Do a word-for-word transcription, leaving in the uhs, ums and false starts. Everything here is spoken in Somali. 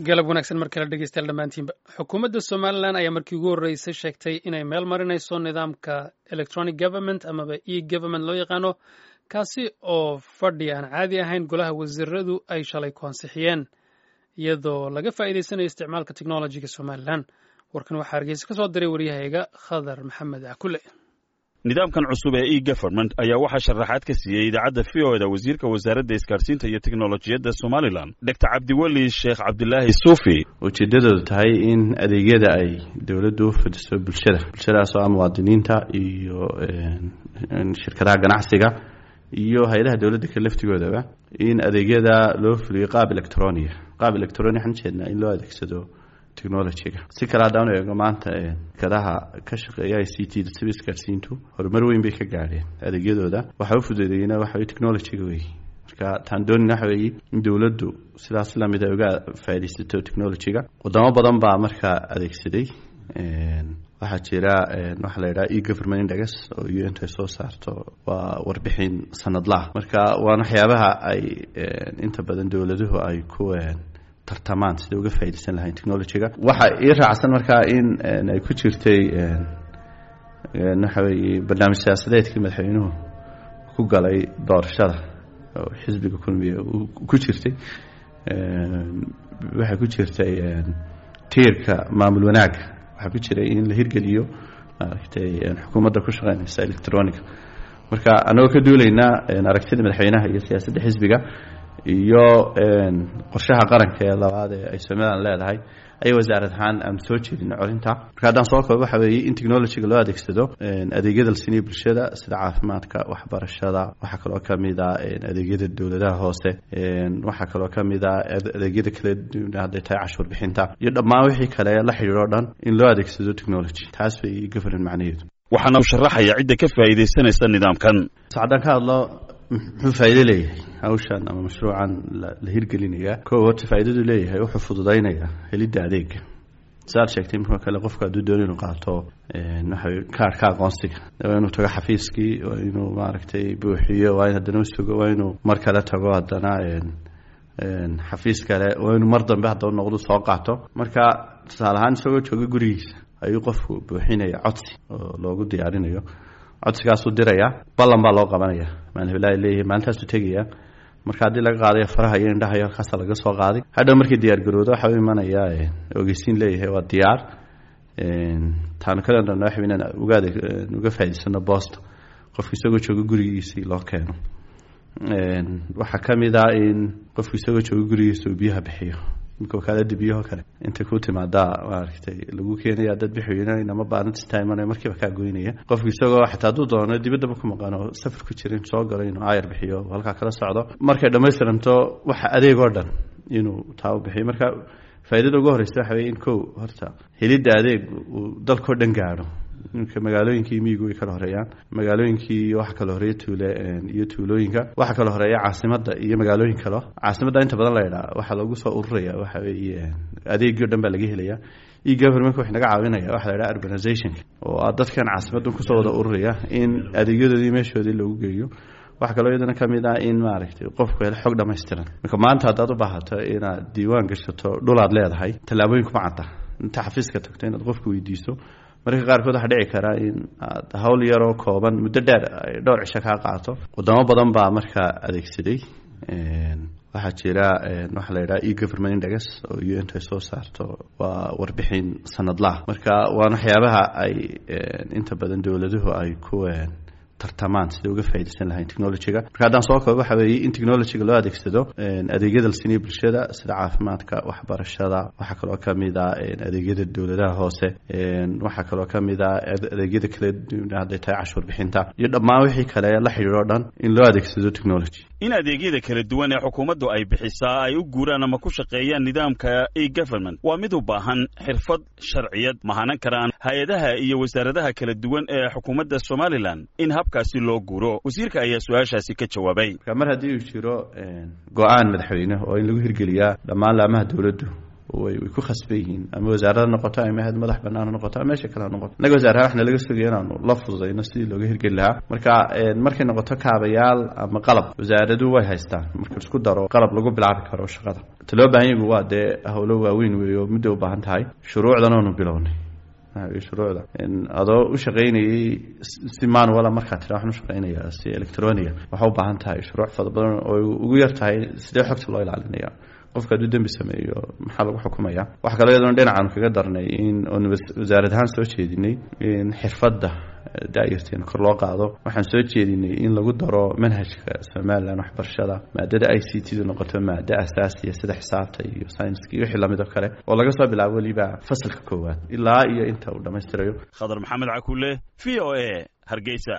Galab wanaagsan mar kale, dhegeystayaal dhammaantiinba. Xukuumadda Somaliland ayaa markii ugu horreysay sheegtay inay meel marinayso nidaamka electronic government amaba e government loo yaqaano, kaasi oo fadhi aan caadi ahayn golaha wasiiradu ay shalay ku ansixiyeen, iyadoo laga faa'iideysanayo isticmaalka technologyga Somaliland. Warkan waxaa Hargeysa ka soo diray waryahayga Khadar Maxamed Cakule. Nidaamkan cusub ee e government ayaa waxaa sharaxaad ka siiyey idaacadda V O E da wasiirka wasaaradda isgaarsiinta iyo teknolojiyadda Somaliland, Doctor Cabdiweli Sheekh Cabdilaahi Suufi. Ujeeddadoodu tahay in adeegyada ay dowladdu u fidiso bulshada, bulshadaas oo ah muwaadiniinta iyo shirkadaha ganacsiga iyo hay-adaha dowladda ka laftigoodaba, in adeegyada loo fuliyo qaab electronic. Qaab electronic waxaan ujeednaa in loo adeegsado technologyga. Si kale haddaan eego, maanta shirkadaha ka shaqeeya I C T da, sida isgaarsiintu, horumar weyn bay ka gaadheen adeegyadooda. Waxa u fududeeyena waxa wey technologyga wey. Marka taan doonina waxa weeye in dowladdu sidaas lamid ay uga faaidaysato technologyga. Wadamo badan baa markaa adeegsaday. Waxaa jira waxaa la yidhaha e government index oo U N ay soo saarto, waa warbixin sanadlaha. Marka waana waxyaabaha ay inta badan dowladuhu ay ku tartamaan sida uga faaidaysan lahayn technologyga. Waxa ii raacsan markaa in ay ku jirtay waxa weeye barnaamij siyaasadeedkii madaxweynuhu ku galay doorashada oo xisbiga Kulmiye ku jirtay. Waxay ku jirtay tiirka maamul wanaagga, waxaa ku jiray in la hirgeliyo, maaragtay, xukuumadda ku shaqeynaysa electronica. Marka anagoo ka duulaynaa aragtida madaxweynaha iyo siyaasadda xisbiga iyo qorshaha qaranka ee labaad ee ay Somaliland leedahay, ayay wasaarad ahaan aan soo jeedin corinta. Marka haddaan soo koobo, waxa weeye in technologyga loo adeegsado adeegyada la siinayo bulshada, sida caafimaadka, waxbarashada, waxaa kaloo kamid a adeegyada dowladaha hoose, waxaa kaloo kamid a adeegyada kala duwan, hadday tahay cashuur bixinta iyo dhammaan wixii kale la xidhiidho o dhan, in loo adeegsado technology. Taas bay government macnaheedu. Waxaana u sharaxaya cidda ka faa'iidaysanaysa nidaamkan. Haddaan ka hadlo muxuu faa'iido leeyahay hawshan ama mashruucan la hirgelinaya, kow, horta faa'iidadu leeyahay wuxuu fududaynayaa helidda adeega. Saad sheegtay, marka kale qofka hadduu doono inuu qaato waxa kaarhka aqoonsiga, waa inuu tago xafiiskii, waa inuu, maaragtay, buuxiyo, waa in haddana usugo, waa inuu mar kale tago haddana xafiis kale, waa inuu mar dambe haddaba noqdo soo qaato. Marka tusaale ahaan, isagoo jooga gurigiisa ayuu qofku buuxinaya codsi oo loogu diyaarinayo. Codsigaasuu diraya, ballan baa loo qabanaya, maalin heblaha leeyahay, maalintaasuu tegaya. Marka haddii laga qaadayo faraha iyo indhaha iyo halkaasa laga soo qaaday, hadhow markii diyaar garoodo waxa u imanaya ogeysiin leeyahay waa diyaar. Taanu kale waxa inaan uga uga faa'idaysano boosta, qofku isagoo jooga gurigiisii loo keeno. Waxaa ka mid ah in qofku isagoo jooga gurigiisa uu biyaha bixiyo. Imika wakaalada biyaho kale intay ku timaadaa, maaragtay, lagu keenaya dad bixiyna ma baarinta imanaya, markiiba kaa goynaya. Qofku isagoo xataa hadduu doono dibaddaba ku maqano, safar ku jira, inuu soo galo, inuu aayar bixiyo, halkaa kala socdo, markay dhammaystiranto waxa adeeg oo dhan inuu taa u bixiyo. Marka faa'iidada ugu horeysa waxa weye in, kow, horta helidda adeeg uu dalkao dhan gaadho. Imika magaalooyinkii miyigu way kala horeeyaan, magaalooyinkii waxa kala horeeya tuule iyo tuulooyinka, waxa kala horeeya caasimadda iyo magaalooyin kalo. Caasimadda inta badan la yidhaha waxaa loogu soo ururaya waxa weeye adeegii o dhan baa laga helaya. E governmentka waxay naga caawinaya waxa la yidhaha urbanizationka, oo ah dadkan caasimaddan kusoo wada ururaya in adeegyadoodii meeshoodii loogu geeyo. Waxaa kaloo iyadana ka mid ah in, maaragtay, qofku helo xog dhammaystiran. Marka maanta haddaad u baahato inaad diiwaan gashato dhulaad leedahay, tallaabooyin kuma cadda. Inta xafiiska tagto inaad qofku weydiiso, mararka qaarkood waxaa dhici karaa in aad hawl yaroo kooban muddo dheer ay dhowr cisho kaa qaato. Wadamo badan baa markaa adeegsaday. Waxaa jira waxaa la yidhaha e government index oo U N ay soo saarto, waa warbixin sanadlaha. Marka waana waxyaabaha ay inta badan dowladuhu ay ku tartamaan sida uga faaidaysan lahayn technologyga. Marka haddaan soo koobo, waxa weeye in technologyga loo adeegsado adeegyada la siinayo bulshada, sida caafimaadka, waxbarashada, waxaa kaloo kamid a adeegyada dowladaha hoose, waxaa kaloo kamid a adeegyada kala duwan, hadday tahay cashuur bixinta iyo dhammaan wixii kale la xidhiidho o dhan, in loo adeegsado technology. In adeegyada kala duwan ee xukuumaddu ay bixisaa ay u guuraan ama ku shaqeeyaan nidaamka e government waa mid u baahan xirfad sharciyad. Mahanan karaan hay-adaha iyo wasaaradaha kala duwan ee xukuumadda Somaliland in habkaasi loo guuro? Wasiirka ayaa su-aashaasi ka jawaabay. Marka mar haddii uu jiro go-aan madaxweyne oo in lagu hirgeliyaa dhammaan laamaha dowladdu Way way ku khasban yihiin, ama wasaarada noqoto ama hay'ad madax bannaan ha noqoto ama meesha kale ha noqoto. Innaga wasaaraha waxna laga sugaya inaanu la fududayno sidii looga hirgeli lahaa. Marka markay noqoto kaabayaal ama qalab, wasaaradu way haystaan marka isku daro qalab lagu bilaabi karo shaqada. Ta loo baahan yahay waa dee howlo waaweyn weeyo, muddo u baahan tahay. Shuruucdan oonu bilownay, shuruucda adoo u shaqaynayay si manual ah, markaa tira waxaan u shaqaynayaa si electronic ah, waxaa u baahan tahay shuruuc fara badan oo ugu yar tahay sidee xogta loo ilaalinaya, qofka hadduu dembi sameeyo maxaa lagu xukumaya. Waxa kaloo iyaduna dhinacaanu kaga darnay in oonu wasaarad ahaan soo jeedinay in xirfadda da'yarteena kor loo qaado. Waxaan soo jeedinay in lagu daro manhajka Somaliland waxbarashada maadada I C T du noqoto maado asaasiya sida xisaabta iyo sayniska iyo wixii lamid oo kale, oo laga soo bilaabo weliba fasalka koowaad ilaa iyo inta uu dhammaystirayo. Khadar Maxamed Cakuule, V O A, Hargeysa.